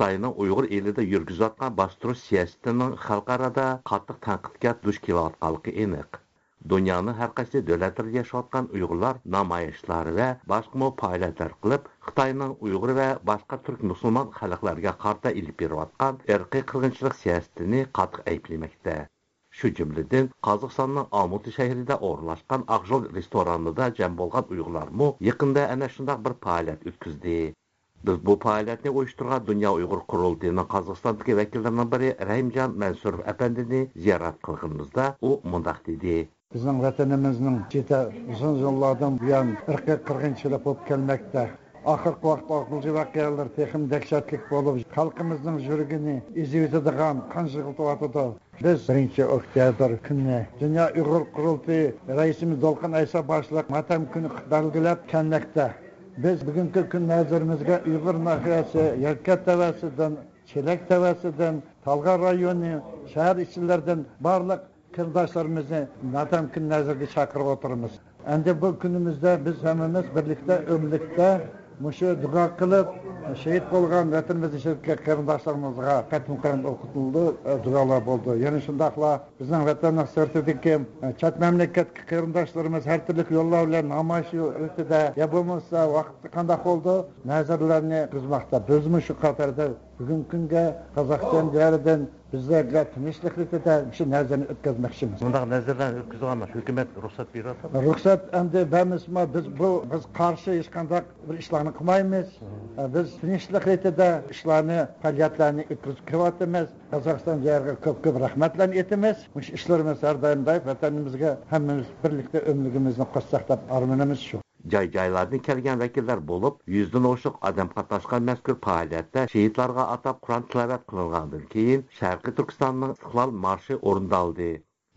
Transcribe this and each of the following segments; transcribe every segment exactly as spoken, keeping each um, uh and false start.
خىتاينىڭ ئۇيغۇر ئېلىدا يۈرگۈزۈۋاتقان باستۇرۇش سىياسىتىنىڭ خەلقئارادا قاتتىق تەنقىدكە دۇچ كېلىۋاتقانلىقى ئېنىق. دۇنيانىڭ ھەر قايسى دۆلەتلىرىدە ياشاۋاتقان ئۇيغۇرلار نامايىشلار ۋە باشقىمۇ پائالىيەتلەر قىلىپ، خىتاينىڭ ئۇيغۇر ۋە باشقا تۈرك مۇسۇلمان خەلقلەرگە قارىتا ئېلىپ بېرىۋاتقان ئىرقىي قىرغىنچىلىق سىياسىتىنى قاتتىق ئەيىبلىمەكتە. شۇ جۈملىدىن قازاقىستاننىڭ ئالمۇتى شەھىرىدە ئورۇنلاشقان ئاقژول رېستورانىدا جەم بولغان ئۇيغۇرلارمۇ يېقىندا ئەنە شۇنداق بىر پائالىيەت ئۆتكۈزدى. بىز بۇ پائالىيەتنى ئۇيۇشتۇرغان دۇنيا ئۇيغۇر قۇرۇلتىيىنىڭ قازاقىستاندىكى ۋەكىللىرىنىڭ بىرى رەھىمجان مەنسۇروف ئەپەندىنى زىيارەت قىلغىنىمىزدا، ئۇ مۇنداق دېدى. بىزنىڭ ۋەتىنىمىزنىڭ ئىچىدە ئۇزۇن يىللاردىن بۇيان ئىرقىي قىرغىنچىلىق بولۇپ كەلمەكتە. ئاخىرقى ۋاقىتتا ئاقجىل ۋەقەلىرى تېخىمۇ دەھشەتلىك بولۇپ، خەلقىمىزنىڭ يۈرىكىنى ئېزىۋېتىدىغان قان يىغلىتىۋاتىدۇ. بىز بىرىنچى ئۆكتەبىر كۈنى دۇنيا ئۇيغۇر قۇرۇلتىيى رەئىسىمىز دولقۇن ئەيسا باشلىق ماتەم كۈنى بەلگىلەپ كەلمەكتە. بىز بۈگۈنكى كۈن نەزىرىمىزگە ئۇيغۇر ناھىيەسى يەركەنت تەۋەسىدىن، چېلەك تەۋەسىدىن، تالغار رايونى، شەھەر ئىچىلىرىدىن بارلىق قېرىنداشلىرىمىزنى ماتەم كۈن نەزىرىگە چاقىرىپ ئولتۇرىمىز. ئەمدى بۇ كۈنىمىزدە بىز ھەممىمىز بىرلىكتە، ئۆملۈكتە مۇشۇ دۇئا قىلىپ، شېھىت بولغان ۋەتىنىمىزدىكى قېرىنداشلىرىمىزغا قېتىم-قېرىن ئوقۇتۇلىدۇ، دۇئالار بولىدۇ. يەنە شۇنداقلا بىزنىڭ ۋەتەننىڭ سىرتىدىكى، چەت مەملىكەتتىكى قېرىنداشلىرىمىز ھەر تۈرلۈك يوللار بىلەن نامايىش رېتىدە يا بولمىسا ۋاقىتتا قانداق بولىدۇ، نەزىرلەرنى ئۆتكۈزمەكتە. بىزمۇ شۇ قاتاردا بۈگۈنكى كۈنگە قازاقىستان دىيارىدىن بىزلەرگە تىنچلىق رېتىدە شۇ نەزىرنى ئۆتكۈزمەكچىمىز. بۇنداق نەزىرلەرنى ئۆتكۈزىدىغان ھۆكۈمەت رۇخسەت بېرىۋاتىدۇ. رۇخسەت ئەمدى بەرمىسىمۇ، بىز بۇ، بىز قارشى ھېچقانداق بىر ئىشلارنى قىلمايمىز. بىز تىنچلىق رېتىدە ئىشلارنى، پائالىيەتلەرنى ئۆتكۈزۈپ كېلىۋاتىمىز. قازاقىستان دىيارىغا كۆپ كۆپ رەھمەتلەرنى ئېيتىمىز. مۇشۇ ئىشلىرىمىز ھەر دائىم دايىم ۋەتىنىمىزگە ھەممىمىز بىرلىكتە ئۆملۈكىمىزنى قوشساق دەپ ئارمىنىمىز شۇ. جاي-جايلاردىن كەلگەن ۋەكىللەر بولۇپ، يۈزدىن ئوشۇق ئادەم قاتناشقان مەزكۇر پائالىيەتتە شېھىتلارغا ئاتاپ قۇرئان تىلاۋەت قىلىنغاندىن كېيىن، شەرقىي تۈركىستاننىڭ ئىستىقلال مارشى ئورۇندالدى.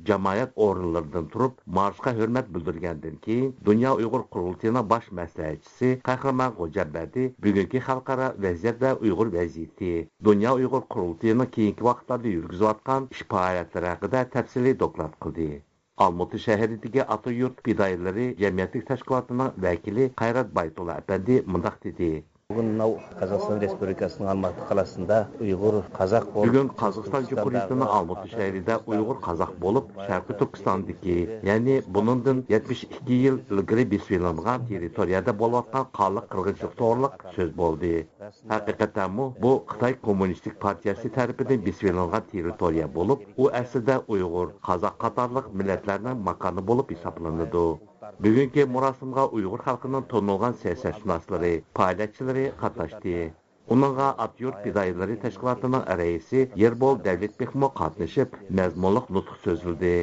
جامائەت ئورۇنلىرىدىن تۇرۇپ، مارشقا ھۆرمەت بىلدۈرگەندىن كېيىن، دۇنيا ئۇيغۇر قۇرۇلتىيىنىڭ باش مەسلىھەتچىسى قەھرىمان غوجامبەردى بۈگۈنكى خەلقئارا ۋەزىيەت ۋە ئۇيغۇر ۋەزىيىتى، دۇنيا ئۇيغۇر قۇرۇلتىيىنىڭ كېيىنكى ۋاقىتلاردا يۈرگۈزۈۋاتقان ئىش پائالىيەتلىرى ھەققىدە تەپسىلىي دوكلات قىلدى. ئالمۇتى شەھىرىدىكى ئاتا يۇرت پىدائىيلىرى جەمئىيەتلىك تەشكىلاتىنىڭ ۋەكىلى قايرات بايتۇللا ئەپەندى مۇنداق دېدى. بۈگۈن ماۋۇ قازاقىستان رېسپۇبلىكاسىنىڭ ئالماتى قالاسىندا ئۇيغۇر قازاق بولۇپ، بۈگۈن قازاقىستان جۇمھۇرىيىتىنىڭ ئالمۇتى شەھىرىدە ئۇيغۇر قازاق بولۇپ، شەرقىي تۈركىستاندىكى، يەنى بۇنىڭدىن يەتمىش ئىككى يىل ئىلگىرى بېسىۋېلىنغان تېررىتورىيەدە بولۇۋاتقان قانلىق قىرغىنچىلىق توغرىلىق سۆز بولدى. ھەقىقەتەنمۇ بۇ خىتاي كوممۇنىستىك پارتىيەسى تەرىپىدىن بېسىۋېلىنغان تېررىتورىيە بولۇپ، ئۇ ئەسلىدە ئۇيغۇر، قازاق قاتارلىق مىللەتلەرنىڭ ماكانى بولۇپ ھېسابلىنىدۇ. بۈگۈنكى مۇراسىمغا ئۇيغۇر خەلقىنىڭ تونۇلغان سىياسەتشۇناسلىرى، پائالىيەتچىلىرى قاتناشتى. ئۇنىڭغا ئاتا يۇرت پىدائىيلىرى تەشكىلاتىنىڭ رەئىسى يېربول دەۋلەتبېكمۇ قاتنىشىپ، مەزمۇنلۇق نۇتۇق سۆزلىدى.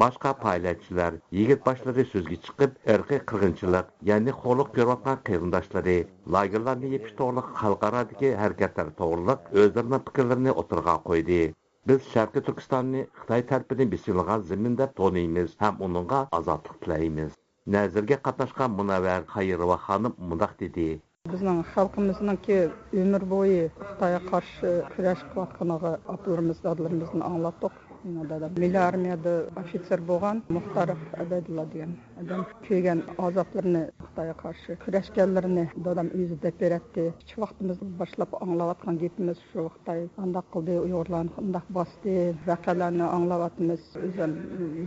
باشقا پائالىيەتچىلەر، يىگىت باشلىرى سۆزگە چىقىپ، ئىرقىي قىرغىنچىلىق، يەنى خورلۇق كۆرۈۋاتقان قېرىنداشلىرى، لاگېرلارنى يېپىش توغرىلىق خەلقئارادىكى ھەرىكەتلەر توغرىلىق ئۆزلىرىنىڭ پىكىرلىرىنى ئوتتۇرىغا قويدى. بىز شەرقىي تۈركىستاننى خىتاي تەرىپىدىن بېسىۋېلىنغان زېمىن دەپ تونۇيمىز ھەم ئۇنىڭغا ئازادلىق تىلەيمىز. نەزىرگە قاتناشقان مۇنەۋۋەر خەيروۋا خانىم مۇنداق دېدى. بىزنىڭ خەلقىمىزنىڭكى ئۆمۈر بويى خىتايغا قارشى كۈرەش قىلىۋاتقىنىغا ئاپىلىرىمىز، دادىلىرىمىزدىن ئاڭلاتتۇق. مېنىڭ دادام مىللىي ئارمىيەدە ئوفىتسېر بولغان مۇختار ئەبەيدۇللا دېگەن ئادەم. كۆرگەن ئازابلىرىنى، خىتايغا قارشى كۈرەشكەنلىرىنى دادام ئۆزى دەپ بېرەتتى. كىچىك ۋاقتىمىزدا باشلاپ ئاڭلاۋاتقان گېپىمىز شۇ، خىتاي ئانداق قىلدى، ئۇيغۇرلارنى ئۇنداق باستى، ۋەقەلەرنى ئاڭلاۋاتىمىز. ئۆزۈم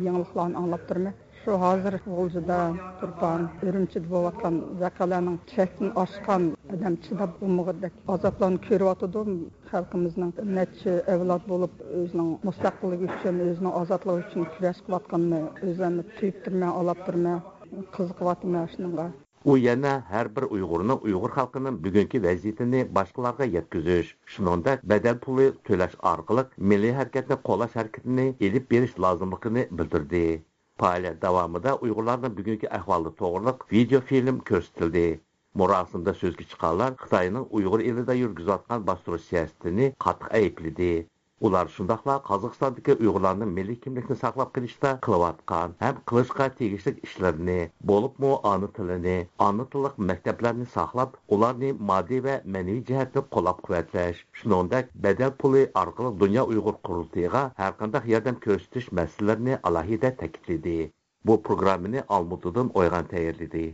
يېڭىلىقلارنى ئاڭلاپ تۇرىمەن. شۇ ھازىر غۇلجىدا، تۇرپان، ئۈرۈمچىدە بولۇۋاتقان ۋەقەلەرنىڭ چەكتىن ئاشقان، ئادەم چىداپ بولمىغۇدەك ئازابلارنى كۆرۈۋاتىدۇ. خەلقىمىزنىڭ نەچچە ئەۋلاد بولۇپ، ئۆزىنىڭ مۇستەقىللىقى ئۈچۈن، ئۆزىنىڭ ئازادلىقى ئۈچۈن كۈرەش قىلىۋاتقىنىنى ئۆزۈممۇ تۇيۇپ تۇرىمەن، ئاڭلاپ تۇرىمەن، قىزىقىۋاتىمەن شۇنىڭغا. ئۇ يەنە ھەر بىر ئۇيغۇرنىڭ، ئۇيغۇر خەلقىنىڭ بۈگۈنكى ۋەزىيىتىنى باشقىلارغا يەتكۈزۈش، شۇنىڭدەك بەدەل پۇلى تۆلەش ئارقىلىق مىللىي ھەرىكەتنى قوللاش ھەرىكىتىنى ئېلىپ بېرىش لازىملىقىنى بىلدۈردى. پائالىيەت داۋامىدا ئۇيغۇرلارنىڭ بۈگۈنكى ئەھۋالى توغرىلىق ۋىدېئو فىلىم كۆرسىتىلدى. مۇراسىمدا سۆزگە چىققانلار خىتاينىڭ ئۇيغۇر ئېلىدا يۈرگۈزۈۋاتقان باستۇرۇش سىياسىتىنى قاتتىق ئەيىبلىدى. ئۇلار شۇنداقلا قازاقىستاندىكى ئۇيغۇرلارنىڭ مىللىي كىملىكنى ساقلاپ قېلىشتا قىلىۋاتقان ھەم قىلىشقا تېگىشلىك ئىشلىرىنى، بولۇپمۇ ئانا تىلىنى، ئانا تىللىق مەكتەپلەرنى ساقلاپ، ئۇلارنى ماددىي ۋە مەنىۋى جەھەتتىن قوللاپ-قۇۋۋەتلەش، شۇنىڭدەك بەدەل پۇلى ئارقىلىق دۇنيا ئۇيغۇر قۇرۇلتىيىغا ھەرقانداق ياردەم كۆرسىتىش مەسىلىلىرىنى ئالاھىدە تەكىتلىدى. بۇ پروگراممىنى ئالمۇتىدىن ئويغان تەييارلىدى.